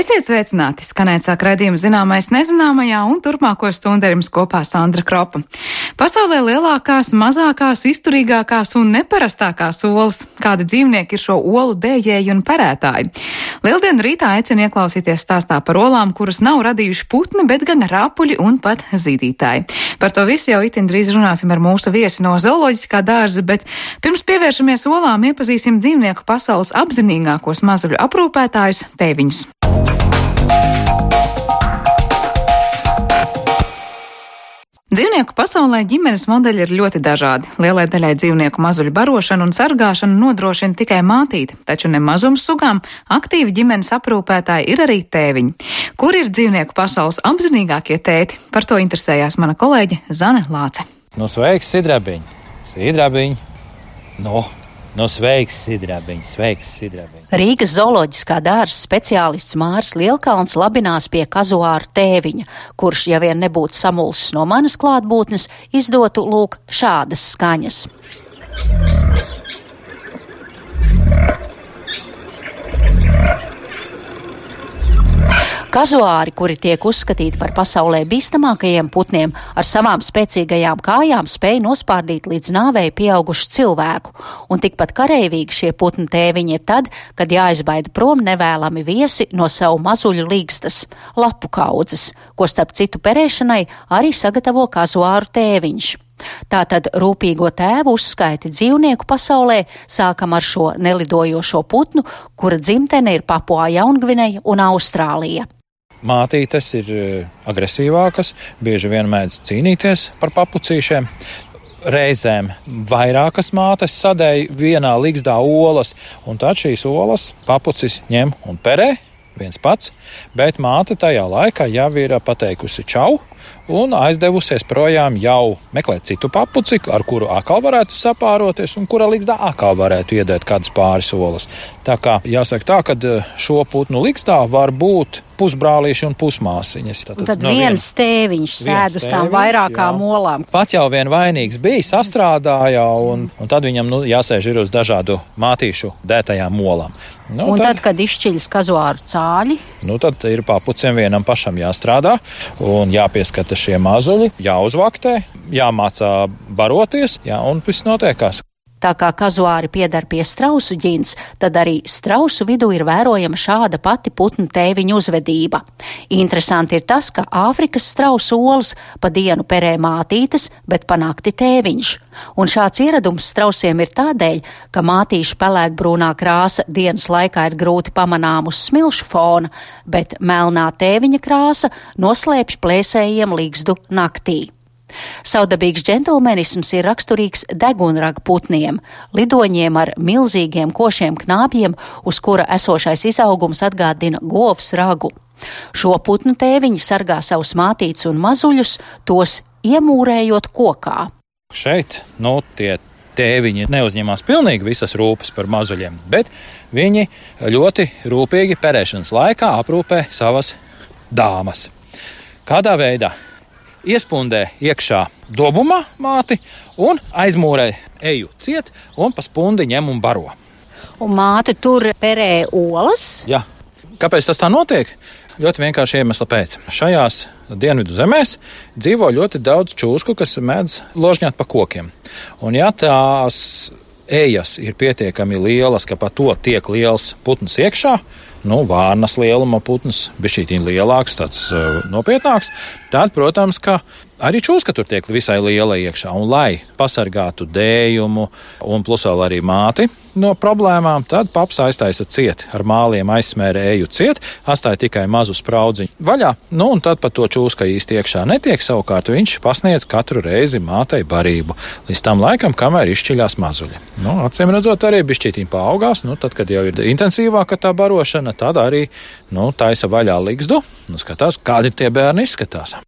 Esiet sveicināti! Skanēt sāk raidījums Zināmais nezināmajā, un turpmāko stundu ar jums kopā Sandra Kropa. Pasaulē lielākās, mazākās, izturīgākās un neparastākās olas. Kādi dzīvnieki ir šo olu dējēji un perētāji? Lieldienu rītā aicinu ieklausīties stāstā par olām, kuras nav radījuši putni, bet gan rāpuļi un pat zīdītāji. Par to visu jau itin drīz runāsim ar mūsu viesi no zooloģiskā dārza, bet pirms pievēršamies olām, iepazīsim dzīvnieku pasaules apzinīgākos mazuļu aprūpētājus - tēviņus. Dzīvnieku pasaulē ģimenes modeļi ir ļoti dažādi. Lielai daļai dzīvnieku mazuļu barošanu un sargāšanu nodrošina tikai mātīte, taču ne mazums sugām aktīvi ģimenes aprūpētāji ir arī tēviņi. Kur ir dzīvnieku pasaules apzinīgākie tēti? Par to interesējās mana kolēģe Zane Lāce. Sveiks, sidrabiņ! Sidrabiņ! Sveiks, sidrabiņ! Sveiks, sidrabiņ! Rīgas zooloģiskā dārza speciālists Māris Lielkalns labinās pie kazuāru tēviņa, kurš, ja vien nebūtu samulsis no manas klātbūtnes, izdotu lūk šādas skaņas. Kazuāri, kuri tiek uzskatīti par pasaulē bīstamākajiem putniem, ar savām spēcīgajām kājām spēj nospārdīt līdz nāvei pieaugušu cilvēku, un tikpat kareivīgi šie putnu tēviņi ir tad, kad jāizbaida prom nevēlami viesi no savu mazuļu līgstas, lapu kaudzes, ko starp citu perēšanai arī sagatavo kazuāru tēviņš. Tātad rūpīgo tēvu uzskaiti dzīvnieku pasaulē sākam ar šo nelidojošo putnu, kura dzimtene ir Papua Jaungvineja un Austrālija. Mātītes ir agresīvākas, bieži vien mēdz cīnīties par papucīšiem. Reizēm vairākas mātes sadēj vienā ligzdā olas, un tad šīs olas papucis ņem un perē viens pats, bet māte tajā laikā jau ir pateikusi čau un aizdevusies projām jau meklēt citu papuci, ar kuru atkal varētu sapāroties un kura ligzdā atkal varētu iedēt kādas pāris olas. Tā kā jāsaka tā, ka šo putnu ligzdā var būt pusbrālīši un pusmāsiņas. Tad viens tēviņš sēd uz tām vairākām olām. Pats jau vien vainīgs bija, sastrādāja, un tad viņam jāsēž ir uz dažādu mātīšu dētajām olām. Un tad, kad izšķiļas kazuāru cāļi? Tad ir papuciem vienam pašam jāstrādā un jāpieskata šie mazuļi, jāuzvaktē, jāmācā baroties, un viss notiekās. Tā kā kazuāri piedar pie strausu ģints, tad arī strausu vidū ir vērojama šāda pati putnu tēviņu uzvedība. Interesanti ir tas, ka Āfrikas strausu olas pa dienu perē mātītes, bet pa nakti tēviņš. Un šāds ieradums strausiem ir tādēļ, ka mātīšu pelēkbrūnā krāsa dienas laikā ir grūti pamanām uz smilšu fona, bet melnā tēviņa krāsa noslēpj plēsējiem līgzdu naktī. Savdabīgs džentlmenisms ir raksturīgs degunraga putniem, lidoņiem ar milzīgiem košiem knābjiem, uz kura esošais izaugums atgādina govs ragu. Šo putnu tēviņi sargā savus mātītes un mazuļus, tos iemūrējot kokā. Šeit, tie tēviņi neuzņemās pilnīgi visas rūpes par mazuļiem, bet viņi ļoti rūpīgi perēšanas laikā aprūpē savas dāmas. Kādā veidā? Iespundē iekšā dobumā māti un aizmūrē eju ciet un pa spundi ņem un baro. Un māte tur perē olas? Jā. Kāpēc tas tā notiek? Ļoti vienkārši iemesla pēc. Šajās dienvidu zemēs dzīvo ļoti daudz čūsku, kas mēdz ložņāt pa kokiem. Un ja tās ejas ir pietiekami lielas, ka pa to tiek liels putns iekšā, vārnas lieluma putns, bišķītiņ lielāks, tāds nopietnāks, tad, protams, ka arī čūska tur tiek visai liela iekšā. Un lai pasargātu dējumu un plus vēl arī māti no problēmām, tad paps aiztaisa ciet, ar māliem aizsmērē eju ciet, atstāja tikai mazu spraudziņu vaļā, un tad pat to čūska īsti iekšā netiek, savukārt viņš pasniedz katru reizi mātei barību, līdz tam laikam, kamēr izšķiļās mazuļi. Acīm redzot, arī bišķītiņ paaugās, tad, kad jau ir intensīvāka tā barošana, tad arī, taisa vaļā ligzdu, skatās, kādi tie bērni izskatās.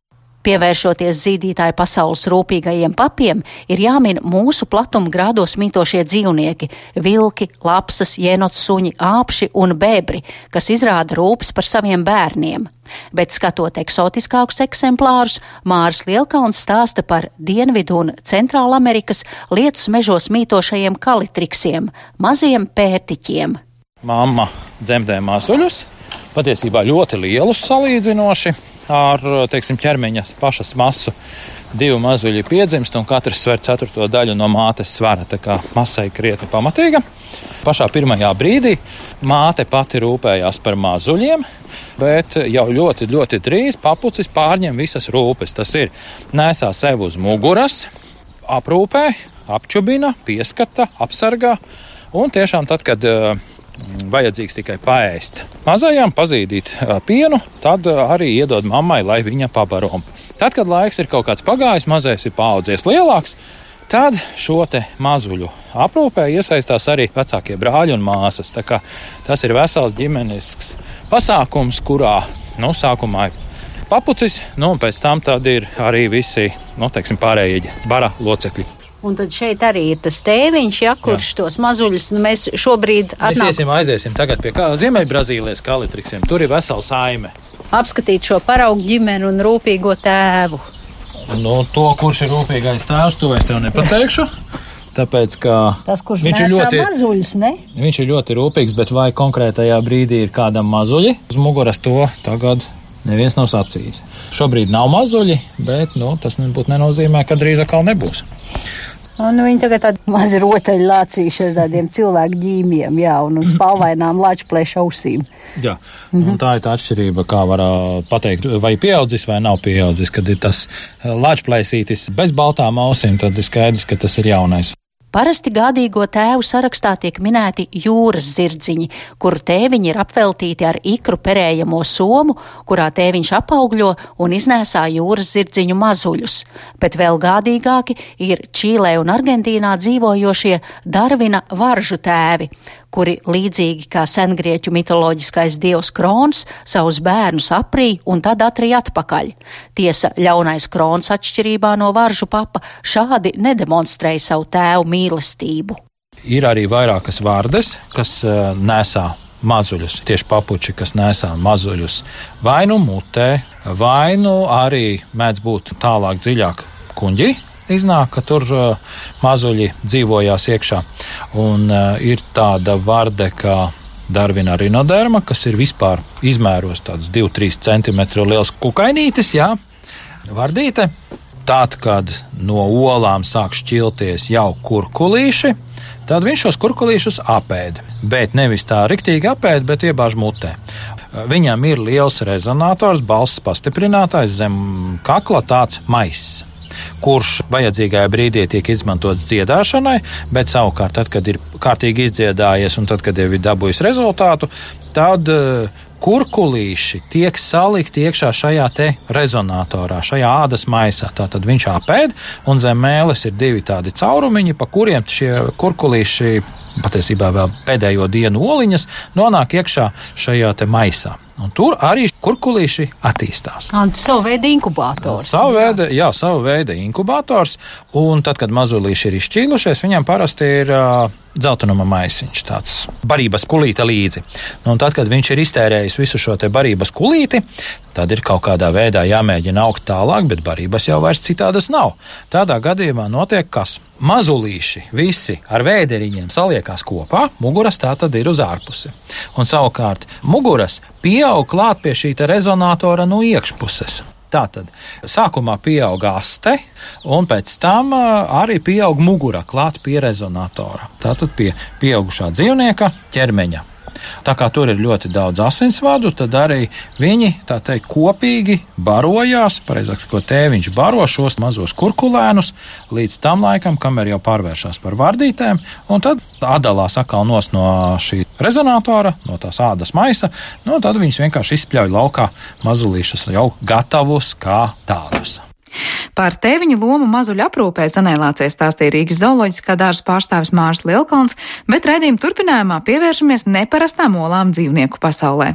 Pievēršoties zīdītāju pasaules rūpīgajiem papiem, ir jāmin mūsu platuma grādos mītošie dzīvnieki – vilki, lapsas, jenotsuņi, āpši un bebri, kas izrāda rūpes par saviem bērniem. Bet skatot eksotiskākus eksemplārus, Māris Lielkalns stāsta par Dienvidu un Centrālamerikas lietus mežos mītošajiem kalitriksiem – maziem pērtiķiem. Mamma dzemdē mazuļus, patiesībā ļoti lielus salīdzinoši ar, teiksim, ķermeņa pašas masu. 2 mazuļi piedzimst, un katrs sver 4. daļu no mātes svara, tā kā masa ir krietni pamatīga. Pašā pirmajā brīdī māte pati rūpējās par mazuļiem, bet jau ļoti, ļoti drīz papucis pārņem visas rūpes. Tas ir nesā sev uz muguras, aprūpē, apčubina, pieskata, apsargā, un tiešām tad, kad vajadzīgs tikai paēst mazajām, pazīdīt pienu, tad arī iedod mammai, lai viņa pabaro. Tad, kad laiks ir kaut kāds pagājis, mazais ir paaudzies lielāks, tad šo te mazuļu aprūpē iesaistās arī vecākie brāļi un māsas. Tā kā tas ir vesels ģimenisks pasākums, kurā, sākumā ir papucis, un pēc tam tad ir arī visi, teiksim, pārējie bara locekļi. Un tad šeit arī ir tas tēviņš, kurš tos mazuļus, mēs šobrīd aiziesim tagad pie Ziemeļbrazīlijas kalitriksiem. Tur ir vesela saime. Apskatīt šo paraugu ģimeni un rūpīgo tēvu. To, kurš ir rūpīgais tēvs, to es tev nepateikšu. Tāpēc, ka tas, kurš nesā mazuļus, ne? Viņš ir ļoti rūpīgs, bet vai konkrētajā brīdī ir kādam mazuļi uz muguras, to tagad neviens nav sacījis. Šobrīd nav mazuļi, bet tas nebūtu nenozīmē, ka drīz atkal nebūs. Viņi tagad tādi mazi rotaļi lācīši ar tādiem cilvēku ģīmiem, un uz spalvainām lāčplēša ausīm. Jā, un tā ir tā atšķirība, kā var pateikt, vai pieaudzis vai nav pieaudzis. Kad ir tas lāčplēsītis bez baltām ausīm, tad ir skaidrs, ka tas ir jaunais. Parasti gādīgo tēvu sarakstā tiek minēti jūras zirdziņi, kuru tēviņi ir apveltīti ar ikru perējamo somu, kurā tēviņš apaugļo un iznēsā jūras zirdziņu mazuļus. Bet vēl gādīgāki ir Čīlē un Argentīnā dzīvojošie Darvina varžu tēvi, kuri līdzīgi kā sengrieķu mitoloģiskais dievs Krons savus bērnus aprī un tad atrī atpakaļ. Tiesa, ļaunais Krons atšķirībā no varžu papa šādi nedemonstrēja savu tēvu mīlestību. Ir arī vairākas vardes, kas nesā mazuļus, tieši papuči, kas nesā mazuļus vai nu mutē, vai nu arī mēdz būt tālāk dziļāk kuņģi. Iznāk, ka tur mazuļi dzīvojās iekšā. Un ir tāda varde kā Darvina rinoderma, kas ir vispār izmēros tāds 2-3 cm liels kukainītis, vardīte. Tad, kad no olām sāk šķilties jau kurkulīši, tad viņš šos kurkulīšus apēd. Bet nevis tā riktīgi apēd, bet iebāž mutē. Viņam ir liels rezonators, balss pastiprinātājs zem kakla, tāds maiss, kurš vajadzīgajā brīdī tiek izmantots dziedāšanai, bet savukārt, tad, kad ir kārtīgi izdziedājies un tad, kad jau ir dabūjis rezultātu, tad kurkulīši tiek salikti iekšā šajā te rezonatorā, šajā ādas maisā. Tātad viņš apēd, un zem mēles ir 2 tādi caurumiņi, pa kuriem šie kurkulīši, patiesībā vēl pēdējo dienu oliņas, nonāk iekšā šajā te maisā. Un tur arī kurkulīši attīstās. Savu veidu inkubators. Savu veidu inkubators. Un tad, kad mazulīši ir izšķīlušies, viņam parasti ir dzeltenuma maisiņš, tāds barības kulīte līdzi. Un tad, kad viņš ir iztērējis visu šo te barības kulīti, tad ir kaut kādā veidā jāmēģina augt tālāk, bet barības jau vairs citādas nav. Tādā gadījumā notiek kas? Mazulīši visi ar vēderiņiem saliekās kopā, muguras tā tad ir uz ārpusi. Un savukārt muguras pieaug klāt pie šī rezonatora no iekšpuses. Tātad sākumā pieaug aste, un pēc tam arī pieaug mugura klāt pie rezonatora. Tātad pie pieaugušā dzīvnieka ķermeņa. Tā kā tur ir ļoti daudz asinsvadu, tad arī viņi, tā teikt, kopīgi barojās, pareizāk sakot, tēviņš baro šos mazos kurkulēnus līdz tam laikam, kamēr jau pārvēršās par vardītēm, un tad atdalās atkal no šī rezonatora, no tās ādas maisa, tad viņus vienkārši izspļauj laukā mazulīšus jau gatavus kā tādus. Par tēviņu lomu mazuļu aprūpē Zanēlācē stāstīja Rīgas zooloģiskā dārza pārstāvis Māris Lielkalns, bet raidījuma turpinājumā pievēršamies neparastām olām dzīvnieku pasaulē.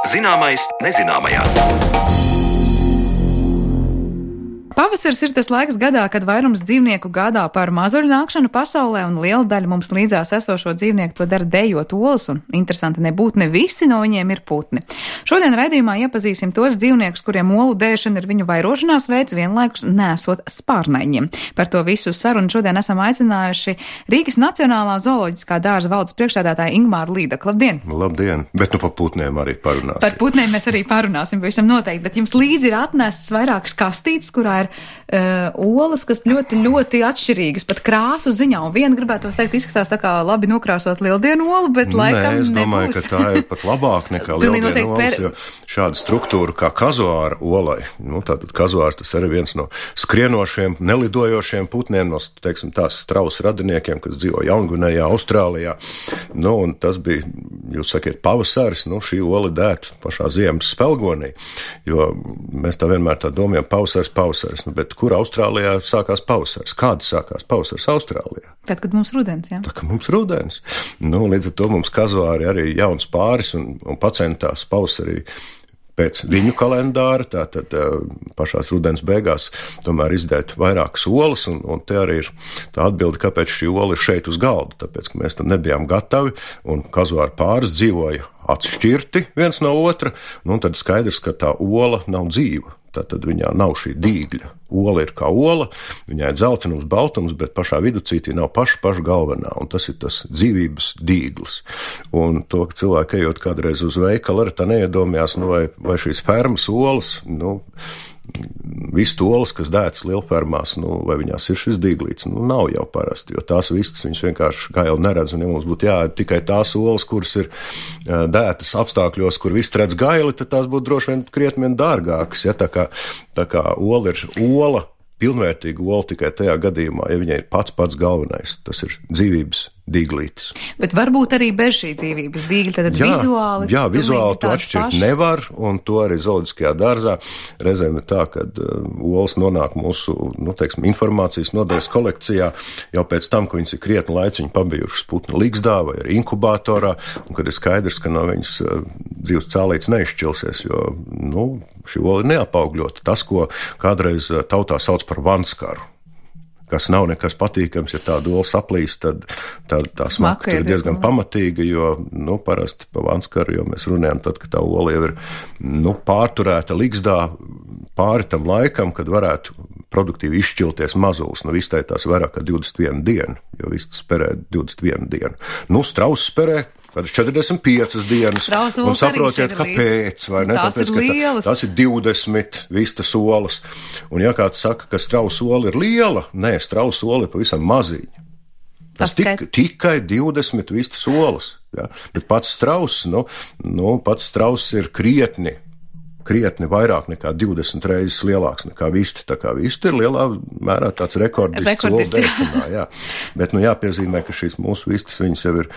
Zināmais nezināmajā. Pavasaris ir tas laiks gadā, kad vairums dzīvnieku gādā par mazuļu nākšanu pasaulē, un liela daļa mums līdzās esošo dzīvnieku to dara dejot olas, un interesanti nebūtu ne visi no viņiem ir putni. Šodien raidījumā iepazīsim tos dzīvniekus, kuriem olu dēšana ir viņu vairošanās veids, vienlaikus nesot spārnaiņiem. Par to visu sarunu šodien esam aicinājuši Rīgas Nacionālā zooloģiskā dārza valdes priekšsēdētāju Ingmāru Līdaku. Labdien! Labdien! Bet nu par putniem arī parunāsim. Par putniem mēs arī parunāsim, pavisam noteikti, bet jums līdzi ir atnests vairākas kastītes, kurā ir olas, kas ļoti, ļoti atšķirīgas, pat krāsu ziņā, un viena gribētu teikt izskatās tā kā labi nokrāsot lieldienu olu, bet laikam nebūs. Es domāju, ka tā ir pat labāk nekā lieldienu olas, jo šāda struktūra kā kazuāra olai, tātad kazuārs tas arī viens no skrienošiem, nelidojošiem putniem, no, teiksim, tās strausu radiniekiem, kas dzīvo Jaungvinejā, Austrālijā, un tas bija, jūs sakiet, pavasaris, šī ola dēta pašā ziemas spelgonī, jo mēs tā vienmēr tā domājam, pavasaris, bet kur Austrālijā sākās pavasaris? Kāda sākās pavasaris Austrālijā? Tad, kad mums rudens, jā. Tā, kad mums rudens. Līdz ar to mums kazuāri arī jauns pāris un pacentās pavasarī pēc viņu kalendāra, tātad pašās rudens beigās tomēr izdēt vairākas olas, un te arī ir tā atbilde, kāpēc šī ola ir šeit uz galda, tāpēc, ka mēs tam nebijām gatavi, un kazuāri pāris dzīvoja atšķirti viens no otra, tad skaidrs, ka tā ola nav dzīva. Tātad viņā nav šī dīgļa. Ola ir kā ola, viņai ir dzeltenums, baltums, bet pašā viducītī nav paša galvenā, un tas ir tas dzīvības dīglis. Un to, ka cilvēki ejot kādreiz uz veikalu, arī tā neiedomājās, vai šīs fermas olas, vistu olas, kas dētas lielfermās, vai viņās ir šis dīglīts, nav jau parasti, jo tās vistas viņas vienkārši gaili neredz, un ja mums būtu jāēd tikai tās olas, kuras ir dētas apstākļos, kur viss redz gaili, tad tās būtu droši vien krietni dārgākas, ja, tā kā ola ir ola, pilnvērtīga ola tikai tajā gadījumā, ja viņai ir pats galvenais, tas ir dzīvības dīglītis. Bet varbūt arī bez šī dzīvības dīgļa, tad vizuāli... Jā, vizuāli to atšķirt nevar, un to arī zooloģiskajā dārzā reizēm ir tā, kad olas nonāk mūsu, informācijas nodaļas kolekcijā jau pēc tam, ka viņas ir krietni laiciņu pabijušas putnu ligzdā vai arī inkubatorā, un kad ir skaidrs, ka no viņas dzīves cēlītes neizšķilsies, jo, šī ola ir neapaugļota. Tas, ko kādreiz tautā sauc par vanskaru, kas nav nekas patīkams, ja tāda ola saplīst, tad tā smaka ir diezgan pamatīga, jo, parasti pa vanskaru, jo mēs runājam tad, ka tā ola jau ir, pārturēta ligzdā pāri tam laikam, kad varētu produktīvi izšķilties mazulis. Vistai tās vairāk kā 21 dienu, jo vistas perē 21 dienu. Strauss perē kādas 45 dienas, un saprotiet, kāpēc, vai ne? Tāpēc, ka tās ir 20 vistas olas. Un ja kāds saka, ka strausa ola ir liela, nē, strausa ola ir pavisam maziņa. Tas tikai 20 vistas olas, ja? Bet pats strauss, pats strauss ir krietni vairāk nekā 20 reizes lielāks nekā vista. Tā kā vista ir lielā mērā tāds rekordists olu dēšanā, jā. Bet, jāpiezīmē, ka šīs mūsu vistas, viņas jau ir,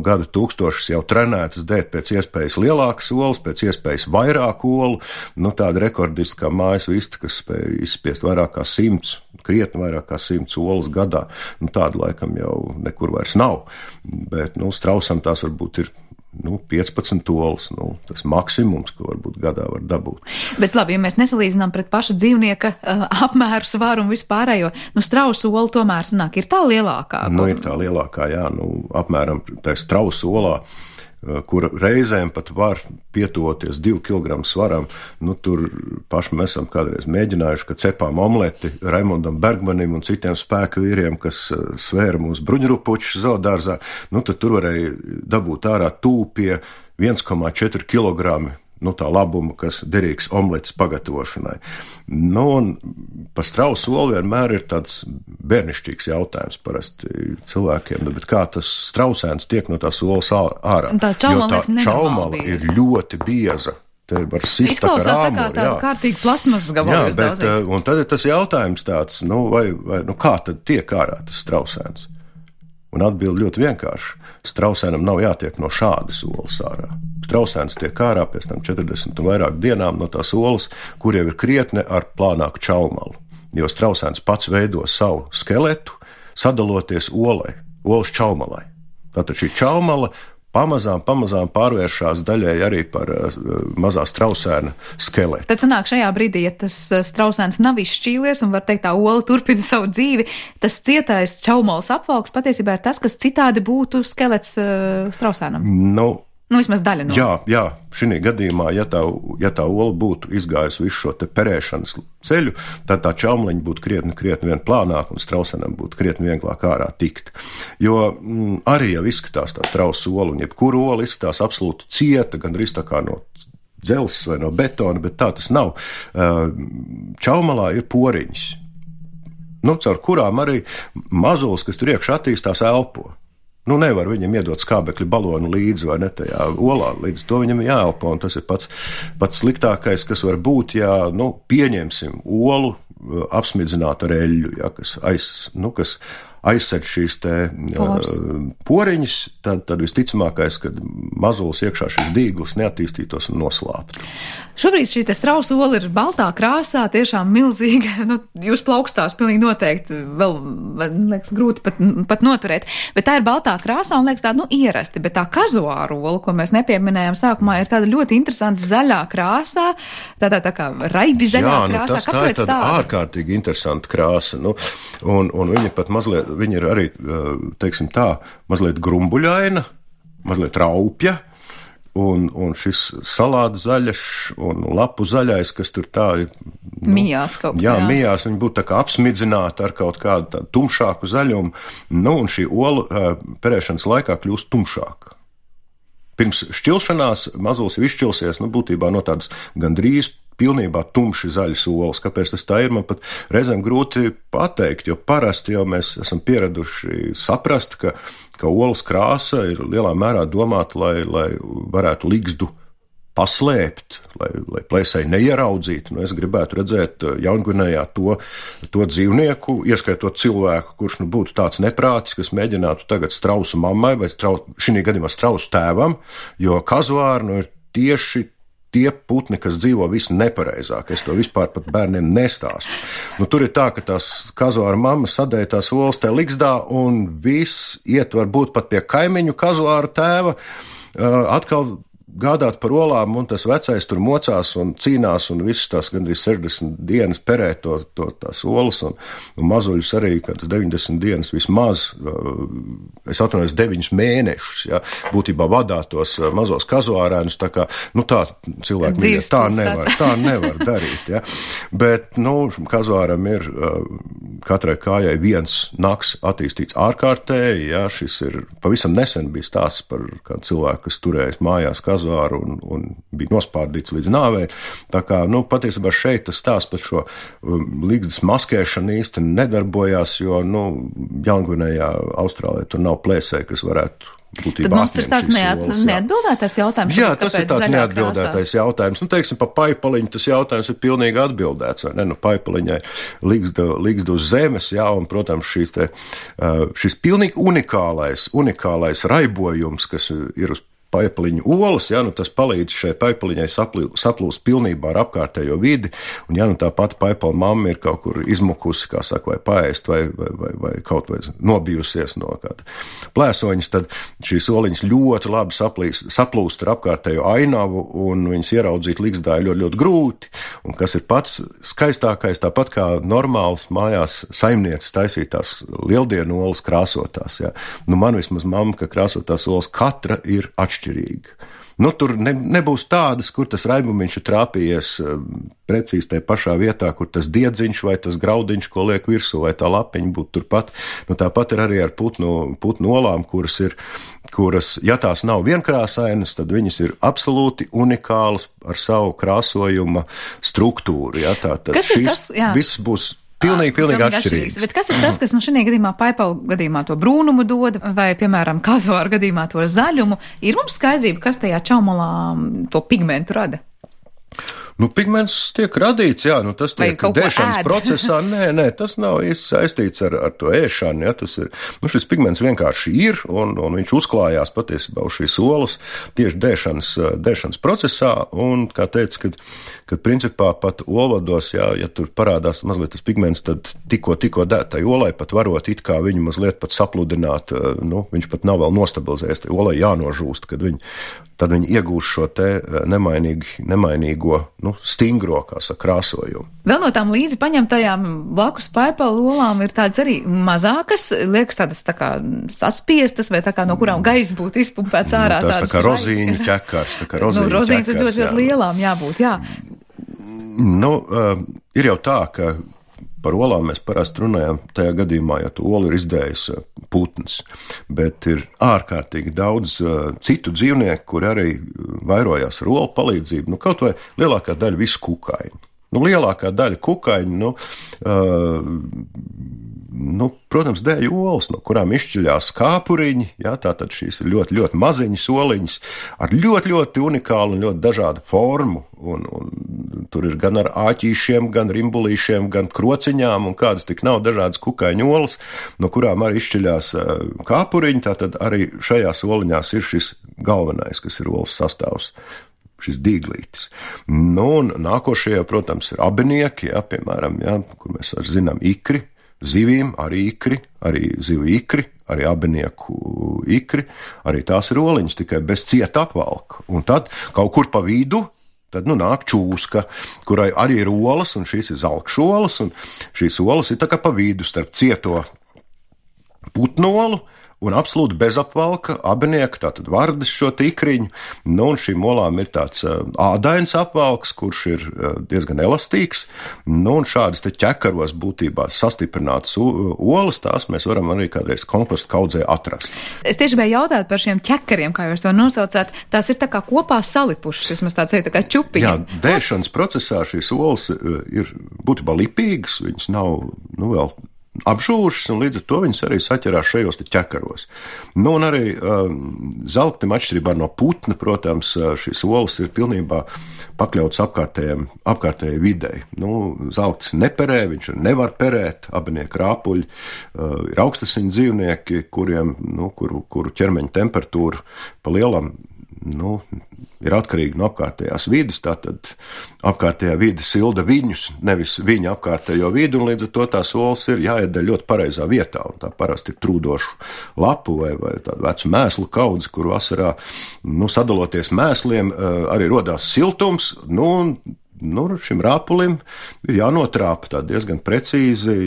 gadu tūkstošus jau trenētas dēt pēc iespējas lielākas olas, pēc iespējas vairāk olu. Tāda rekordiska kā mājas vista, kas spēja izspiest vairāk kā 100, krietni vairāk kā 100 olas gadā. Tāda laikam jau nekur vairs nav. Bet, strausam tās varbūt ir 15 olas, tas maksimums, ko varbūt gadā var dabūt. Bet labi, ja mēs nesalīdzinām pret paša dzīvnieka apmēru, svaru un vispārējo, strausu ola tomēr sanāk, ir tā lielākā? Ir tā lielākā, jā, apmēram tā strausu olā, kura reizēm pat var pietuvoties 2 kg svaram. Tur paši mēs esam kādreiz mēģinājuši, ka cepām omleti Raimondam Bergmanim un citiem spēku vīriem, kas svēra mūsu bruņurupuču zoodārzā. Tad tur varēja dabūt ārā tūpie 1,4 kg. Tā labuma, kas derīgs omletes pagatavošanai. Un pa strausu olu vienmēr ir tāds bērnišķīgs jautājums parasti cilvēkiem, bet kā tas strausēns tiek no tās olas ārā? Tā čaumala ir ļoti bieza. Te var sist ar āmuru. Tā kā tāda kārtīga plasmasas gabala. Jā, bet, un tad ir tas jautājums tāds, kā tad tiek ārā tas strausēns? Un atbildi ļoti vienkārši. Strausēnam nav jātiek no šādas olas ārā. Strausēns tiek ārā pēc tam 40 un vairāk dienām no tās olas, kur jau ir krietne ar plānāku čaumalu. Jo strausēns pats veido savu skeletu, sadaloties olai, olas čaumalai. Tātad šī čaumala pamazām pārvēršās daļai arī par mazā strausēna skeletu. Tad sanāk šajā brīdī, ja tas strausēns nav izšķīlies un var teikt tā ola turpina savu dzīvi, tas cietais čaumols apvalks patiesībā ir tas, kas citādi būtu skelets strausēnam. Nu, vismaz daļa no. Jā, šī gadījumā, ja tā ola būtu izgājusi visu šo te perēšanas ceļu, tad tā čaumliņa būtu krietni vien plānāka un strausenam būtu krietni vieglāk ārā tikt. Jo arī jau izskatās tā strausa ola, un jebkura ola izskatās absolūti cieta, gandrīz tā kā no dzelzs vai no betona, bet tā tas nav. Čaumalā ir poriņas, caur kurām arī mazulis, kas tur iekšā attīstās, elpo. Nevar viņam iedot skābekļa balonu līdzi vai ne tajā olā, līdz to viņam jāelpo, un tas ir pats sliktākais, kas var būt, ja, pieņemsim olu apsmidzināt ar eļļu, ja, kas aizseg šīs te poriņas, tad visticamākais, kad mazulis iekšā šis dīglis neattīstītos un noslāptu. Šobrīd šī te strausa ola ir baltā krāsā, tiešām milzīga, jūs plaukstās pilnīgi noteikti vēl, liekas, grūti pat noturēt, bet tā ir baltā krāsā un liekas tāda, ierasti, bet tā kazuāra ola, ko mēs nepieminējām sākumā, ir tāda ļoti interesanta zaļā krāsā, tā kā raibi zaļā krāsā. Tā ir tāda ārkārtīgi interesanta krāsa, un viņa pat mazliet, viņa ir arī, teiksim tā, mazliet grumbuļaina, mazliet raupja, un šis salāts zaļš un lapu zaļais, kas tur tā ir. Mijās kaut kā. Jā, mijās, viņi būtu tā kā apsmidzināti ar kaut kādu tādu tumšāku zaļumu, un šī ola perēšanas laikā kļūst tumšāka. Pirms šķilšanās mazulis ir izšķilsies, būtībā no tādas gandrīz pilnībā tumši zaļas olas. Kāpēc tas tā ir, man pat reizēm grūti pateikt, jo parasti jau mēs esam pieraduši saprast, ka olas krāsa ir lielā mērā domāta, lai varētu ligzdu paslēpt, lai plēsēji neieraudzītu. Es gribētu redzēt Jaungvinējā to dzīvnieku, ieskaitot cilvēku, kurš būtu tāds neprātis, kas mēģinātu tagad strausu mammai vai šī gadījumā strausu tēvam, jo kazuāri ir tieši tie putni, kas dzīvo visu nepareizāk. Es to vispār pat bērniem nestāstu. Tur ir tā, ka tās kazuāra mamma sadēja tās olas tajā ligzdā, un viss iet varbūt pat pie kaimiņu kazuāra tēva, atkal gādāt par olām, un tas vecais tur mocās un cīnās, un visas tās gandrīz 60 dienas perē tās olas, un mazuļus arī kādas 90 dienas vismaz, es atvainojos 9 mēnešus, ja, būtībā vadātos mazos kazuārēnus, tā kā, tā cilvēki mīļas, tā nevar darīt, ja. Bet, kazuāram ir katrai kājai viens naks attīstīts ārkārtēji, ja, šis ir pavisam nesen bija stāsts par kādu cilvēku, kas turējis mājās kazuāru un bija nospārdīts līdz nāvei. Tā kā, patiesībā šeit tas stāsts par šo ligzdas maskēšanu īsti nedarbojās, jo, Jaungvinējā, Austrālijā tur nav plēsēji, kas varētu būtībā tad mums ir tās neatbildētais jautājums. Jā, tas ir tāds neatbildētais jautājums. Teiksim, pa paipaliņu tas jautājums ir pilnīgi atbildēts, vai ne? Paipaliņai ligzda uz zemes, jā, un, protams, šis pilnīgi unikālais raibojums, kas ir uz paipaliņu olas, ja, tas palīdz šai paipaliņai saplūst pilnībā ar apkārtējo vidi, un ja tā pati paipala mamma ir kaut kur izmukusi, kā saka, vai paēst, vai kaut vai nobijusies no kāda plēsoņas, tad šīs oliņas ļoti labi saplūst ar apkārtējo ainavu, un viņas ieraudzīt ligzdā ir ļoti, ļoti grūti, un kas ir pats skaistākais, tāpat kā normāls mājās saimnieces taisītās lieldienu olas krāsotās, ja. Man vismaz mamma, ka krāsotās olas katra ir atšķirīga. Tur nebūs tādas, kur tas raibumiņš ir trāpījies precīzi tajā pašā vietā, kur tas diedziņš vai tas graudiņš, ko liek virsū, vai tā lapiņa būtu turpat. Tāpat ir arī ar putnu olām, kuras, ja tās nav vienkrāsainas, tad viņas ir absolūti unikālas ar savu krāsojuma struktūru. Ja, tātad viss būs pilnīgi atšķirīgs. Bet kas ir tas, kas šajā gadījumā paipalu gadījumā to brūnumu dod, vai, piemēram, kazuāra gadījumā to zaļumu? Ir mums skaidrība, kas tajā čaumalā to pigmentu rada? Pigments tiek radīts, jā, tas tiek dēšanas procesā. Nē, tas nav īsti saistīts ar to ēšanu, jā, tas ir, šis pigments vienkārši ir, un viņš uzklājās patiesībā uz šīs olas tieši dēšanas procesā, un, kā teica, kad principā pat olvados, jā, ja tur parādās mazliet tas pigments, tad tikko dētai olai pat varot it kā viņu mazliet pat sapludināt, viņš pat nav vēl nostabilizējies, tai olai jānožūst, tad viņi iegūst šo te nemainīgo, stingro, kā saka, krāsojumu. Vēl no tām līdzi paņemtajām blakus paipalu olām ir tādas arī mazākas, liekas tādas tā kā saspiestas, vai tā kā no kurām gaisa būtu izpumpēts ārā. Tas tā kā rozīņu ķekars, rozīņas ir ļoti lielām jābūt, jā. Ir jau tā, ka par olām mēs parasti runājam tajā gadījumā, ja tu olu ir izdējis putns, bet ir ārkārtīgi daudz citu dzīvnieku, kuri arī vairojās ar olu palīdzību, kaut vai lielākā daļa visu kukaiņu. Lielākā daļa kukaiņu, protams, dēļ olas, no kurām izšķiļās kāpuriņi, jā, tātad šīs ir ļoti, ļoti maziņas oliņas ar ļoti, ļoti unikālu un ļoti dažādu formu, un tur ir gan ar āķīšiem, gan rimbulīšiem, gan krociņām, un kādas tik nav dažādas kukaiņu olas, no kurām arī izšķiļās kāpuriņi, tātad arī šajās oliņās ir šis galvenais, kas ir olas sastāvs. Šis dīglītis. Un nākošie, protams, ir abinieki, jā, piemēram, jā, kur mēs arī zinām ikri, zivīm, arī ikri, arī zivu ikri, arī abinieku ikri, arī tās ir oliņas, tikai bez cieta apvalka. Un tad kaut kur pa vidu, tad nāk čūska, kurai arī ir olas, un šīs ir zalkšolas, un šīs olas ir tā kā pa vidu starp cieto putnolu, un absolūti bezapvalka abinieka, tātad vardes šo ikriņu, un šīm olām ir tāds ādains apvalks, kurš ir diezgan elastīgs, un šādas te ķekaros būtībā sastiprinātas olas, tās mēs varam arī kādreiz kompostu kaudzē atrast. Es tieši biju jautāt par šiem ķekariem, kā jūs to nosaucāt, tās ir tā kā kopā salipušas, vismaz tāds ir tā kā čupiņi. Jā, dēšanas procesā šīs olas ir būtībā lipīgas, viņas nav, vēl apžūšas, un līdz ar to viņas arī saķerās šajos te ķekaros. Un arī zelktim atšķirībā no putna, protams, šīs olas ir pilnībā pakļauts apkārtējai videi. Zelktis neperē, viņš nevar perēt, abinieki rāpuļi, ir augstasiņu dzīvnieki, kuru ķermeņa temperatūra pa lielam, ir atkarīgi no apkārtējās vides, tātad apkārtējā vide silda viņus, nevis viņa apkārtējo vidi, un līdz ar to tās olas ir jāiedēļ ļoti pareizā vietā, un tā parasti ir trūdošu lapu vai tādu vecu mēslu kaudzi, kur vasarā, sadaloties mēsliem, arī rodās siltums, šim rāpulim ir jānotrāpa tā diezgan precīzi,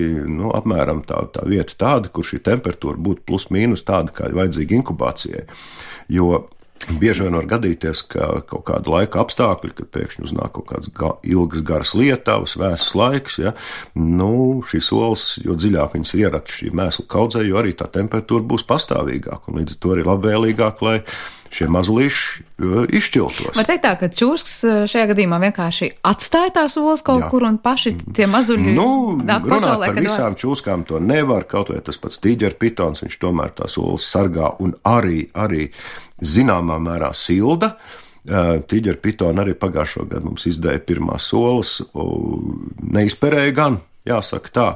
apmēram tā vieta tāda, kur šī temperatūra būtu plus mīnus tāda, kā ir vajadzīga inkubācijai, jo bieži vien var gadīties, ka kaut kāda laika apstākļi, kad pēkšņi uznāk kaut kāds ilgas garas lietavas, vēsas laiks, ja, šīs olas, jo dziļāk viņas ir ieraktas šī mēslu kaudzē, jo arī tā temperatūra būs pastāvīgāka, un līdz ar to arī labvēlīgāk, lai šie mazulīši izšķiltos. Var teikt tā, ka čūskas šajā gadījumā vienkārši atstāja tās olas kaut kur un paši tie mazuļi nāk pasaulē, par visām čūskām to nevar, kaut vai tas pats tīģerpitons, viņš tomēr tās olas sargā un arī zināmā mērā silda. Tīģerpitoni arī pagājušo gadu mums izdēja pirmās olas, neizperēja gan, jāsaka tā,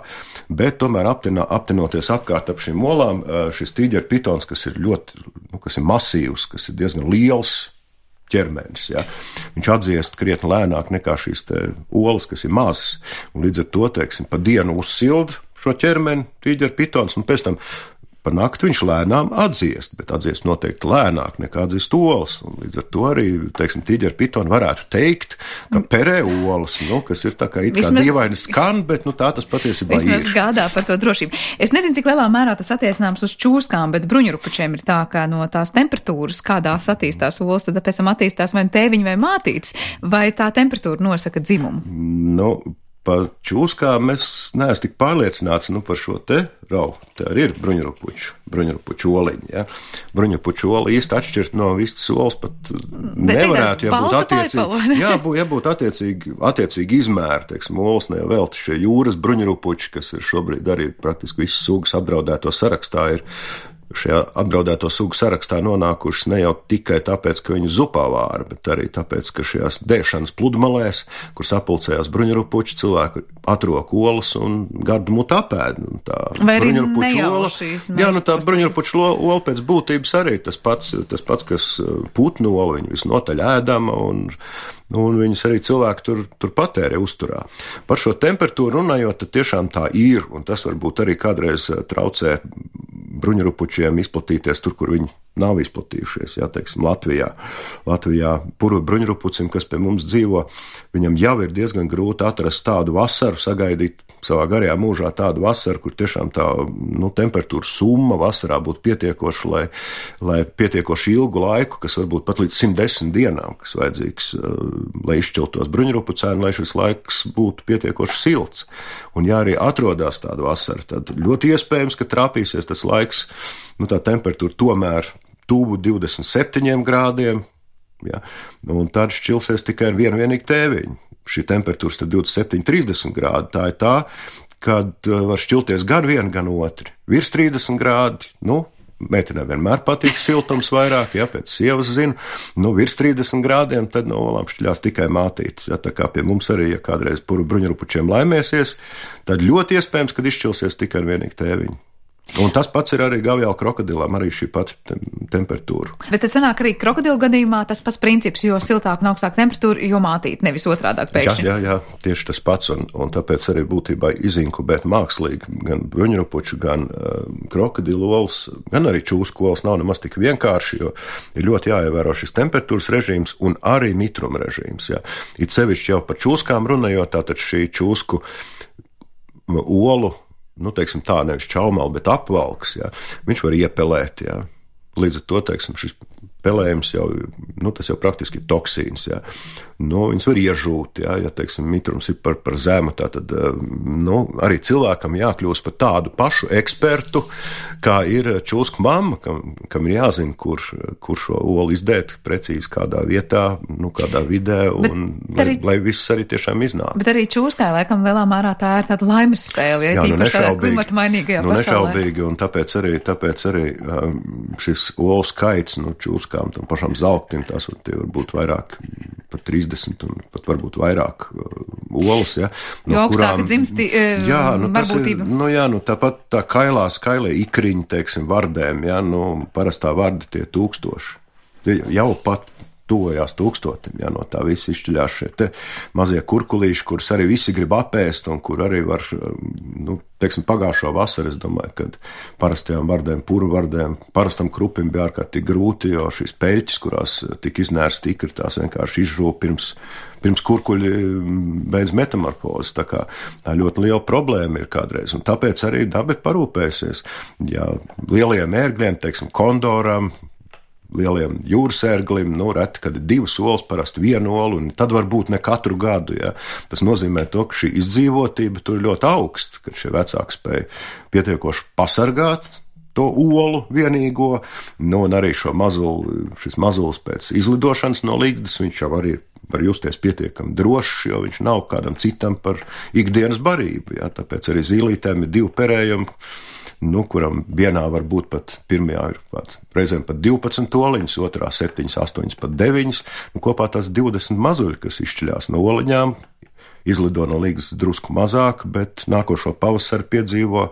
bet tomēr aptinoties apkārt ap šīm olām, šis tīģerpitons, kas ir ļoti, kas ir masīvs, kas ir diezgan liels ķermenis, ja, viņš atdziest krietni lēnāk nekā šīs te olas, kas ir mazas, un līdz ar to, teiksim, pa dienu uzsild šo ķermeni tīģerpitons, un pēc tam par nakti viņš lēnām atdziest, bet atdziest noteikti lēnāk nekā atdziest olas. Un līdz ar to arī, teiksim, tīģerpitoni varētu teikt, ka perē olas, kas ir tā kā it kā dīvaini skan, bet tā tas patiesībā ir. Vismaz gādā par to drošību. Es nezinu, cik lielā mērā tas attiecināms uz čūskām, bet bruņurupučiem ir tā, ka no tās temperatūras, kādās attīstās olas, tad pēc tam attīstās vai tēviņi vai mātītes, vai tā temperatūra nosaka dzimumu? Par čūskām es neesmu tik pārliecināts par šo te raugu. Tā arī ir bruņurupuču oliņa. Ja? Bruņurupuču oli īsti atšķirt no vistas olas pat nevarētu, ja būtu attiecīgi. Jā, būtu attiecīgi izmēri, teiksim, olas ne vēl šie jūras bruņurupuči, kas ir šobrīd arī praktiski visas sugas apdraudēto sarakstā, ir šajā apdraudēto sugu sarakstā nonākušas ne jau tikai tāpēc, ka viņu zupā vāra, bet arī tāpēc, ka šajās dēšanas pludmalēs, kur sapulcējās bruņurupuči, cilvēki atrok olas un gardu mutu apēd. Vai arī nejauši šīs? Jā, tā bruņurupuču ola pēc būtības arī tas pats, kas putnu ola, viņa visnotaļ ēdama un viņus arī cilvēki tur patērē uzturā. Par šo temperatūru runājot, tad tiešām tā ir, un tas varbūt arī kādreiz traucē bruņurupučiem izplatīties tur, kur viņi nav izplatījušies, teiksim, Latvijā puru bruņurupucim, kas pie mums dzīvo, viņam jau ir diezgan grūti atrast tādu vasaru, sagaidīt savā garajā mūžā tādu vasaru, kur tiešām tā, temperatūra summa vasarā būtu pietiekoša, lai pietiekoši ilgu laiku, kas varbūt pat līdz 110 dienām, kas vajadzīgs, lai izšķiltos bruņurupucēni, lai šis laiks būtu pietiekoši silts. Un ja arī atrodās tāda vasara, tad ļoti iespējams, ka trāpīsies tas laiks, tā temperatūra tomēr tuvu 27 grādiem, un tad šķilsies tikai vienīgi tēviņi. Šī temperatūra starp 27-30 grādi, tā ir tā, kad var šķilties gan viena, gan otri. Virs 30 grādi, meitenē vienmēr patīk siltums vairāk, pēc sievas zinu, virs 30 grādiem, tad no olām šķiļās tikai mātītes. Tā kā pie mums arī, ja kādreiz puru bruņurupučiem laimēsies, tad ļoti iespējams, kad izšķilsies tikai vienīgi tēviņi. Un tas pats ir arī gavjāla krokodilam, arī šī pati temperatūra. Bet tad sanāk arī krokodilu gadījumā tas pats princips, jo siltāk un augstāk temperatūra, jo mātīt, nevis otrādāk pēkšņi. Jā, tieši tas pats, un tāpēc arī būtībā izinkubēt mākslīgi gan bruņurupuču, gan krokodilu olas, gan arī čūsku olas nav nemaz tik vienkārši, jo ir ļoti jāievēro šis temperatūras režīms un arī mitruma režīms. It sevišķi jau par čūskām runājot, tātad šī čūsku olu, teiksim tā, nevis čaumali, bet apvalks, viņš var iepelēt, Līdz ar to, teiksim, šis pelējums jau, tas jau praktiski ir toksīns, viņas var iežūt, teiksim, mitrums ir par zemu, tātad, arī cilvēkam jākļūst par tādu pašu ekspertu, kā ir čūsku mamma, kam ir jāzina, kur šo olu izdēt precīzi kādā vietā, kādā vidē, un lai viss arī tiešām iznāk. Bet arī čūskai, laikam, lielā mērā tā ir tāda laimes spēle, tīpaši tādā klimata mainīgajā pasaulē. Nešaubīgi, un tāpēc arī šis olu skaits, čūskām, tam pašam zeltim, tās var būt vairāk, pat 30 un pat varbūt vairāk olas, jo augstāka dzimsti varbūtība. Tāpat tā kailie ikriņi, teiksim, vardēm, parastā varda tie 1000. Jau pat tuvojās 1000, no tā visi izšķiļās šie te mazie kurkulīši, kurus arī visi grib apēst un kur arī var, teiksim, pagājušo vasaru, es domāju, kad parastajām vardēm, puru vardēm, parastam krupim bija ārkārtīgi grūti, jo šīs peļķis, kurās tika iznērsti ikri, tās vienkārši izžūva pirms kurkuļi beidz metamorfozes. Tā kā tā ļoti liela problēma ir kādreiz, un tāpēc arī daba ir parūpējusies. Lielajiem ērgļiem, teiksim, kondoram, lieliem jūras ērglim, reti, kad ir 2 olas, parasti 1 olu, un tad varbūt ne katru gadu. Tas nozīmē to, ka šī izdzīvotība tur ir ļoti augsta, ka šie vecāki spēja pietiekoši pasargāt to olu vienīgo, un arī šis mazulis pēc izlidošanas no ligzdas, viņš jau arī var justies pietiekami drošs, jo viņš nav kādam citam par ikdienas barību. Tāpēc arī zīlītēm ir 2 perējumi, kuram vienā var būt pat pirmajā ir reizēm pat 12 oliņas, otrā 7, 8, pat 9, kopā tās 20 mazuļi, kas izšķiļās no oliņām, izlido no ligzdas drusku mazāk, bet nākošo pavasaru piedzīvo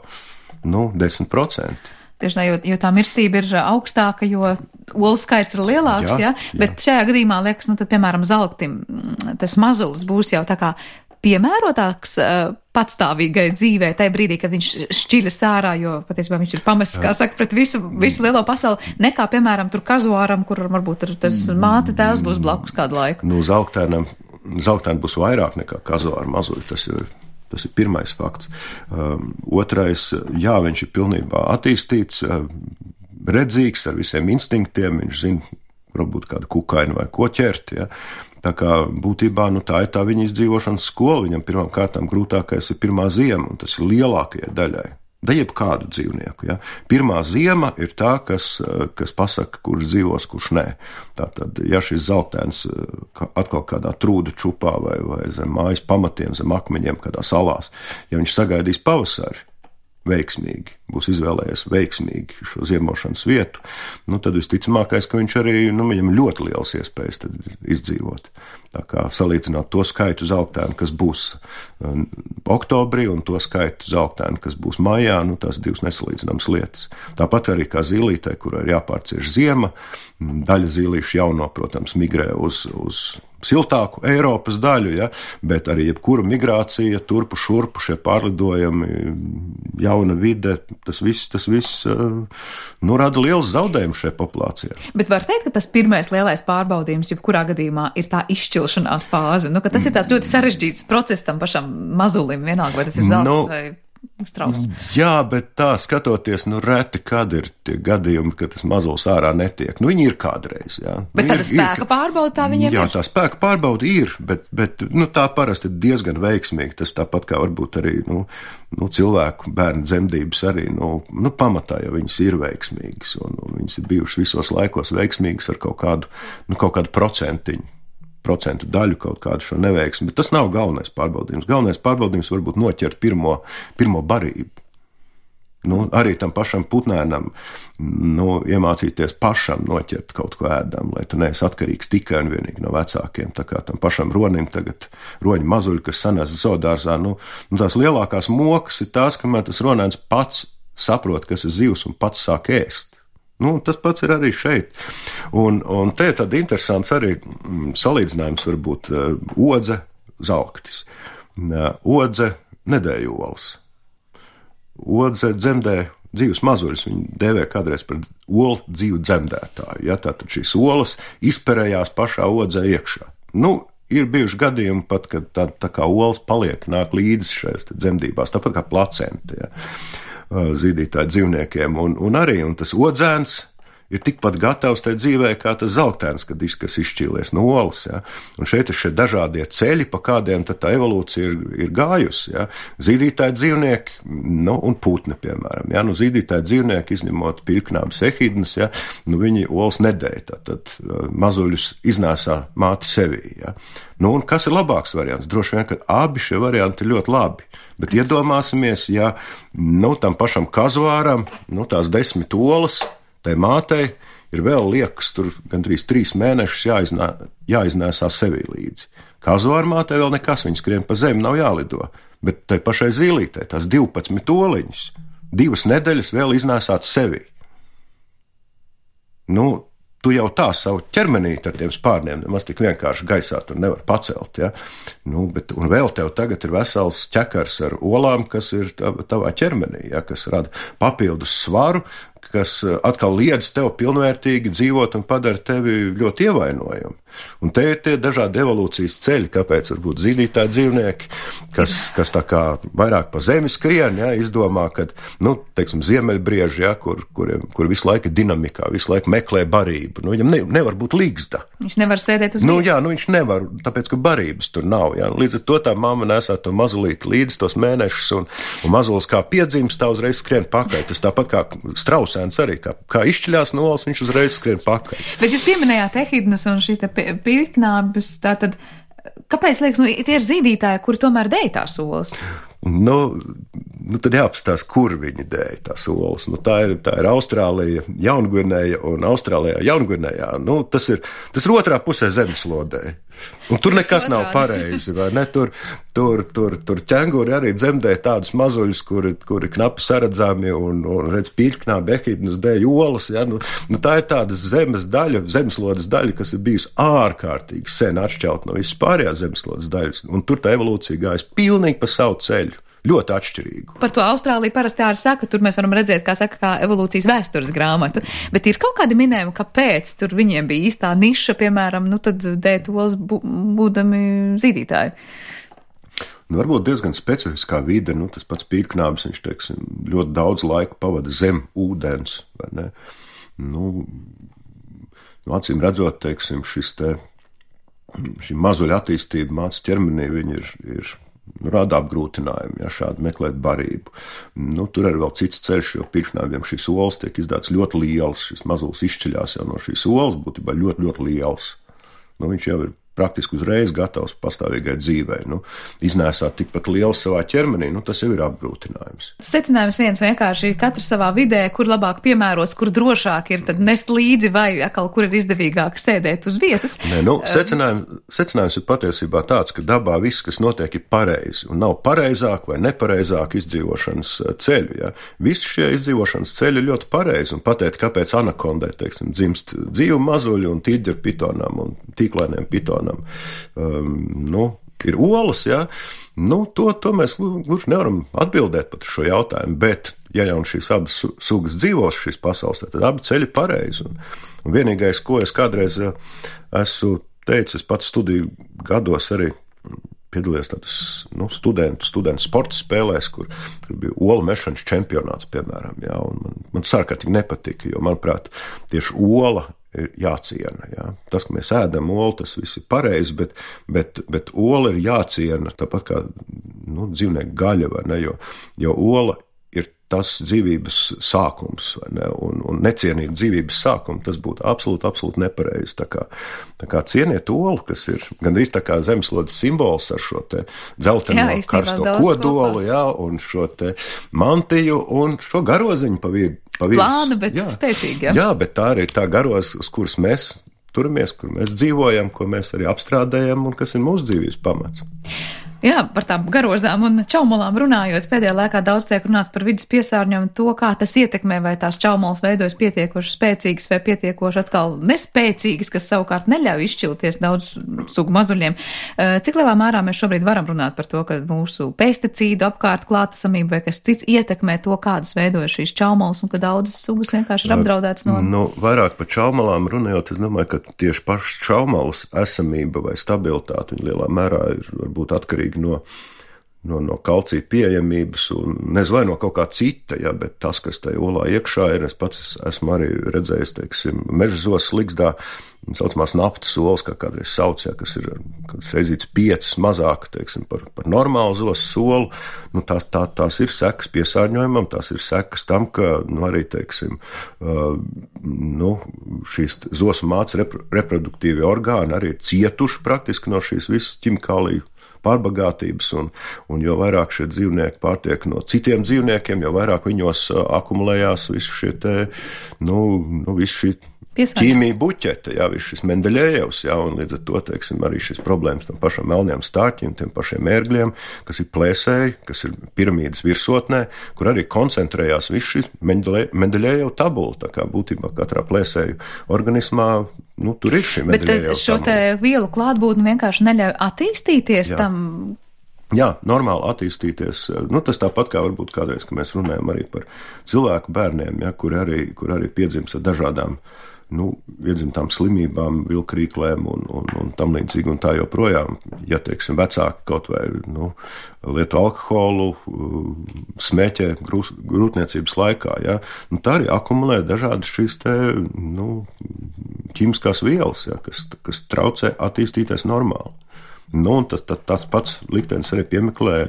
10%. Tieši tā, jo tā mirstība ir augstāka, jo olu skaits ir lielāks, bet šajā gadījumā liekas, tad, piemēram, zelktim tas mazulis būs jau tā kā piemērotāks patstāvīgai dzīvē, tajā brīdī, kad viņš šķiļas ārā, jo patiesībā viņš ir pamests, kā saka, pret visu lielo pasauli, nekā, piemēram, tur kazuāram, kur varbūt tas māte tēvs būs blakus kādu laiku. Zelktēni būs vairāk nekā kazuāra mazuļi, tas ir pirmais fakts. Otrais, viņš ir pilnībā attīstīts, redzīgs ar visiem instinktiem, viņš zina, varbūt kādu kukainu vai ko ķert, Tā kā būtībā tā ir tā viņa izdzīvošanas skola. Viņam pirmām kārtām grūtākais ir pirmā ziema, un tas ir lielākajai daļai. Da jebkādu dzīvnieku. Pirmā ziema ir tā, kas pasaka, kurš dzīvos, kurš nē. Tātad, ja šis zeltēns atkal kādā trūdu čupā vai zem mājas pamatiem, zem akmeņiem, kādā salās, ja viņš sagaidīs pavasari, veiksmīgi, būs izvēlējies veiksmīgi šo ziemošanas vietu, tad visticamākais, ka viņš arī, viņam ļoti liels iespējas tad izdzīvot. Tā kā salīdzināt to skaitu zeltēnu, kas būs oktobrī, un to skaitu zeltēnu, kas būs maijā, tās divas nesalīdzināmas lietas. Tāpat arī kā zīlītē, kurai ir jāpārcieš ziema, daļa zīlīšu jauno, protams, migrē uz siltāku Eiropas daļu, ja, bet arī jebkura migrācija, turpu šurpu šie pārlidojumi, jauna vide, tas viss rada liels zaudējums šajā populācijā. Bet var teikt, ka tas pirmais lielais pārbaudījums, jebkurā gadījumā, ir tā izšķilšanās fāze, ka tas ir tās ļoti sarežģīts process tam pašam mazulim, vienalga, vai tas ir zelts vai strauss. Jā, bet tā skatoties, reti, kad ir tie gadījumi, ka tas mazulis ārā netiek. Viņi ir kādreiz, jā. Bet tāda spēka pārbauda tā viņiem ir? Jā, tā spēka pārbauda ir, bet tā parasti ir diezgan veiksmīgi. Tas tāpat kā varbūt arī, cilvēku bērnu dzemdības arī, pamatā jau viņas ir veiksmīgas, un viņas ir bijušas visos laikos veiksmīgas ar kaut kādu procentu daļu kaut kādu šo neveiksmi, bet tas nav galvenais pārbaudījums. Galvenais pārbaudījums varbūt noķert pirmo barību. Arī tam pašam putnēnam, iemācīties pašam noķert kaut ko ēdam, lai tu neesi atkarīgs tikai un vienīgi no vecākiem. Tā kā tam pašam ronim tagad roņu mazuļi, kas sanās zoodārzā, tās lielākās mokas ir tās, kamēr tas ronēns pats saprot, kas ir zivs un pats sāk ēst. Tas pats ir arī šeit. Un te ir tad interesants arī salīdzinājums varbūt odze, zalktis. Odze nedēja olas. Odze dzemdē dzīves mazuļus, viņi dēvē kādreiz par olu dzīvu dzemdētāju. Ja, tātad šīs olas izperējās pašā odzē iekšā. Ir bijuši gadījumi pat, kad tā kā olas paliek, nāk līdzi šajās dzemdībās, tāpat kā placenta. Ja. Zīdītāju dzīvniekiem, un tas odzēns ir tikpat gatavs tai dzīvē, kā tas zeltēns, kas izšķīlies no olas. Ja? Un šeit ir šie dažādie ceļi, pa kādiem tā evolūcija ir gājusi. Ja? Zīdītāji dzīvnieki, un putni, piemēram. Ja? Zīdītāji dzīvnieki, izņemot pīrknābes ehidnas, ja? Viņi olas nedēja, tad mazuļus iznēsā māte sevī. Ja? Un kas ir labāks variants? Droši vien, ka abi šie varianti ir ļoti labi. Bet iedomāsimies, ja tam pašam kazvāram, tās 10 olas, tai mātei ir vēl liekas, tur gandrīz 3 mēnešus jāiznēsā sevī līdzi. Kazvāra mātei vēl nekas, viņa skrien pa zemi, nav jālido. Bet tai pašai zīlītei, tās 12 oliņas, 2 nedēļas vēl iznēsāt sevī. Tu jau tā savu ķermenīti ar tiem spārniem nemaz tik vienkārši gaisā tur nevar pacelt, ja? Un vēl tev tagad ir vesels ķekars ar olām, kas ir tavā ķermenī, ja? Kas rada papildus svaru, kas atkal liedz tev pilnvērtīgi dzīvot un padara tevi ļoti ievainojumu. Un te ir tie dažādi evolūcijas ceļi, kāpēc varbūt zīdītāji dzīvnieki, kas tā kā vairāk pa zemi skrien, ja, izdomā, ka, ziemeļbrieži, ja, kur visu laiku ir dinamikā, visu laiku meklē barību. Viņam nevar būt līgzda. Viņš nevar sēdēt uz vietas. Jā, viņš nevar, tāpēc, ka barības tur nav. Ja. Līdz ar to tā mamma nesā to mazulīti līdz tos mēnešus, un mazulis kā piedzimst, tā uzreiz skrien pakaļ. Tas tāpat kā strausēns arī, kā izšķiļās no olas, viņš uzreiz skrien pakaļ. Bet jūs pieminējāt ehidnas un šīs te pīrknābes, tātad, kāpēc liekas, tie ir zīdītāji, kuri tomēr dēj tās olas? Tad jāapstās, kur viņi dēja tās olas. Tā ir Austrālija, Jaungvinēja un Austrālijā, Jaungvinējā. Tas ir otrā pusē zemeslodē. Un tur nekas nav pareizi, vai ne? Tur ķenguri arī dzemdē tādus mazuļus, kuri knapi saredzami un redz pīrknābi, ehidnas dēļ olas. Ja? Tā ir tāda zemeslodes daļa, kas ir bijusi ārkārtīgi sen atšķelt no visas pārējās zemeslodes daļas. Un tur tā evolūcija gājas pilnīgi pa savu ceļu. Ļoti atšķirīgu. Par to Austrāliju parasti arī saka, tur mēs varam redzēt, kā evolūcijas vēstures grāmatu. Bet ir kaut kādi minējumi, kāpēc tur viņiem bija īstā niša, piemēram, tad dēt olas būdami zīdītāji. Varbūt diezgan specifiskā vide, tas pats pīrknābis, viņš, ļoti daudz laika pavada zem ūdens, vai ne? Acīm redzot, šī mazuļa attīstība mācas ķermenī, viņi ir rada apgrūtinājumu, ja šādi meklēt barību. Tur arī vēl cits ceļš, jo pīrknābiem šīs olas tiek izdāts ļoti liels, šis mazulis izšķiļās jau no šīs olas, būtībā ļoti, ļoti liels. Viņš jau ir praktiski uzreiz gatavs pastāvīgai dzīvei. Iznēsāt tikpat liels savā ķermenī, tas jau ir apgrūtinājums. Secinājums viens vienkārši katrs savā vidē, kur labāk piemērots, kur drošāk ir tad nest līdzi vai atkal, kur ir izdevīgāk sēdēt uz vietas. Nē, secinājums ir patiesībā tāds, ka dabā viss, kas notiek, ir pareizi un nav pareizāk vai nepareizāk izdzīvošanas ceļu. Ja? Visi šie izdzīvošanas ceļi ir ļoti pareizi un pateikt, kāpēc anakondē, dzimst dzīvu mazuļi un tīģeru pitonām un tīklainiem pitonām. Ir olas, ja? To mēs gluži nevaram atbildēt pat šo jautājumu, bet, ja jau šīs abas sugas dzīvos šīs pasaules, tad abi ceļi pareizi. Un vienīgais, ko es kādreiz esmu teicis, es pats studiju gados arī piedalījos tādas studentu sporta spēlēs, kur bija olu mešanas čempionāts, piemēram. Ja? Un man sārkārtīgi nepatika, jo, manuprāt, tieši ola ir jāciena. Ja? Tas, ka mēs ēdam olu, tas viss ir pareizi, bet ola ir jāciena tāpat kā dzīvnieku gaļa, vai ne? Jo ola ir tas dzīvības sākums, vai ne? Un necienīt dzīvības sākumu, tas būtu absolūti nepareizi. Tā kā cieniet olu, kas ir gandrīz tā kā zemeslodes simbols ar šo te dzelteno karsto kodolu, ja? Un šo te mantiju un šo garoziņu pa vidu. Plānu, bet spēcīgi, jā. Jā, bet tā arī ir tā garoz, uz kuras mēs turamies, kur mēs dzīvojam, ko mēs arī apstrādājam un kas ir mūsu dzīvības pamats. Jā, par tām garozām un čaumalām runājot, pēdējā laikā daudz tiek runāts par vidas piesārņojumu, to, kā tas ietekmē, vai tās čaumalas veidojas pietiekoši spēcīgas vai pietiekoši atkal nespēcīgas, kas savukārt neļauj izšķilties daudz sugu mazuļiem. Cik lielā mērā mēs šobrīd varam runāt par to, ka mūsu pesticīdu apkārt klātesamība vai kas cits ietekmē to, kādas veidojas šīs čaumalas un ka daudzas sugas vienkārši ir apdraudētas no... Vairāk par čaumalām runājot, es domāju, ka tieši pašas čaumalas esamība vai stabilitāte viņa lielā mērā ir varbūt atkarīga no kalcija pieejamības un nezinu, vai no kaut kā cita, ja, bet tas, kas tajā olā iekšā ir, es pats esmu arī redzējis, meža zosas ligzdā, saucamās naftas olas, kā kādreiz sauc, ja, kas ir reizīts 5 mazāk, par normālu zosas solu, tās ir sekas piesārņojumam, tās ir sekas tam, ka, arī, šīs zosu mātes reproduktīvie orgāni arī ir cietuši praktiski no šīs visas ķimikāliju pārbagātības, un jo vairāk šie dzīvnieki pārtiek no citiem dzīvniekiem, jo vairāk viņos akumulējās visu šie visu šī ķīmija buķete, jā, viss šis Mendeļejevs, jā, un līdz ar to, arī šis problēmas tam pašam melniem stārķiem, tiem pašiem ērgļiem, kas ir plēsēji, kas ir piramīdas virsotnē, kur arī koncentrējās viss šis Mendeļejev tabula, tā kā būtībā katrā plēsēju organismā, tur ir šī Mendeļejev tabula. Bet šo te vielu klātbūtni vienkārši neļauj attīstīties jā. Tam? Jā, normāli attīstīties. Tas tāpat kā varbūt kādreiz, ka mēs runājam arī par cilvēku bērniem, ja, kur arī piedzimst ar dažādām iedzimtām slimībām, vilkrīklēm un tam līdzīgi un tā joprojām. Ja, vecāki kaut vai lieto alkoholu, smēķē grūtniecības laikā, ja, tā arī akumulē dažādas šīs ķīmiskās vielas, ja, kas traucē attīstīties normāli. Un tas pats liktenis arī piemeklē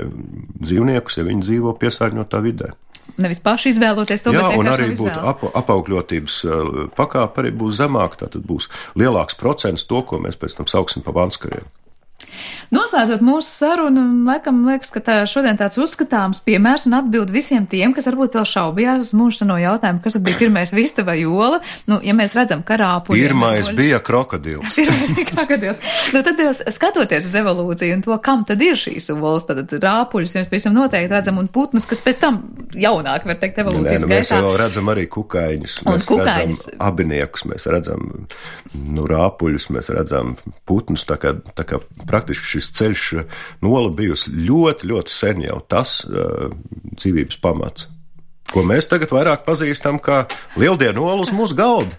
dzīvniekus, ja viņi dzīvo piesārņotā vidē. Nevis paši izvēloties to, jā, bet un arī būtu apaugļotības pakāpe arī būs zemāka, tātad būs lielāks procents to, ko mēs pēc tam sauksim pa vanskariem. Noslēdzot mūsu sarunu, laikam liekas, ka šodien tāds uzskatāms piemērs un atbild visiem tiem, kas varbūt vēl šaubījās uz mūsu seno jautājumu, kas tad bija pirmais vista vai ola. Ja mēs redzam, ka rāpuļi... Pirmais bija krokodils. Tad skatoties uz evolūciju un to, kam tad ir šīs olas, tad rāpuļus mēs pavisam noteikti redzam un putnus, kas pēc tam jaunāk, var teikt, evolūcijas gaitā. Mēs vēl redzam arī kukaiņus, redzam abiniekus, mēs redzam rāpuļus, mēs redzam putnus, tā kā praktiski šis ceļš ola bijusi ļoti, ļoti sen jau tas dzīvības pamats, ko mēs tagad vairāk pazīstam kā lieldienu olu uz mūsu galda.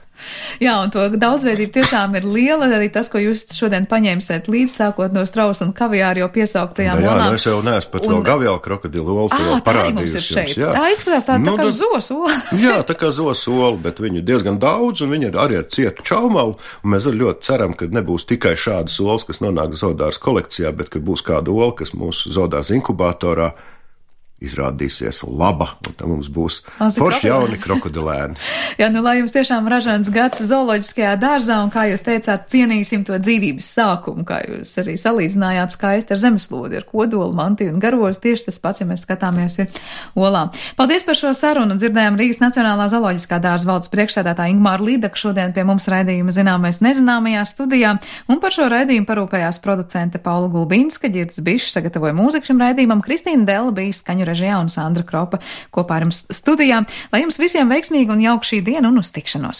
Jā, un to daudzveidība tiešām ir liela, arī tas, ko jūs šodien paņēmsiet līdz sākot no strausa un kaviāru jau piesauktajām olām. Jā, es jau neesmu pat vēl gaviālu krokodilu olu, to vēl parādījusi jums. Jā. Tā izskatās tā kā zosu ola. Jā, tā kā zosu ola, bet viņu diezgan daudz, un viņi arī ar cietu čaumalu, un mēs ļoti ceram, ka nebūs tikai šādas olas, kas nonāk zoodārs kolekcijā, bet ka būs kāda ola, kas mūsu zoodārs inkubatorā izrādīsies laba, un tad mums būs forši jauni krokodilēni. Jā, lai jums tiešām ražants gads zooloģiskajā dārzā, un kā jūs teicāt, cienīsim to dzīvības sākumu, kā jūs arī salīdzinājāt skaisti ar zemeslodi, ar kodolu, mantiju un garozu. Tieši tas pats, ja mēs skatāmies, ir olām. Paldies par šo sarunu. Dzirdējām Rīgas Nacionālā zooloģiskā dārza valdes priekšsēdētāja Ingmāra Līdaka šodien pie mums raidījuma Zināmais nezināmajā studijā, un par šo raidījumu parūpējās producente Paula Gulbinska, Ģirds Bišs sagatavoja mūziku šim raidījumam, Kristīna Dela bija skaņu režijā un Sandra Kropa kopā ar jums studijā. Lai jums visiem veiksmīgi un jauka šī diena un uz tikšanos!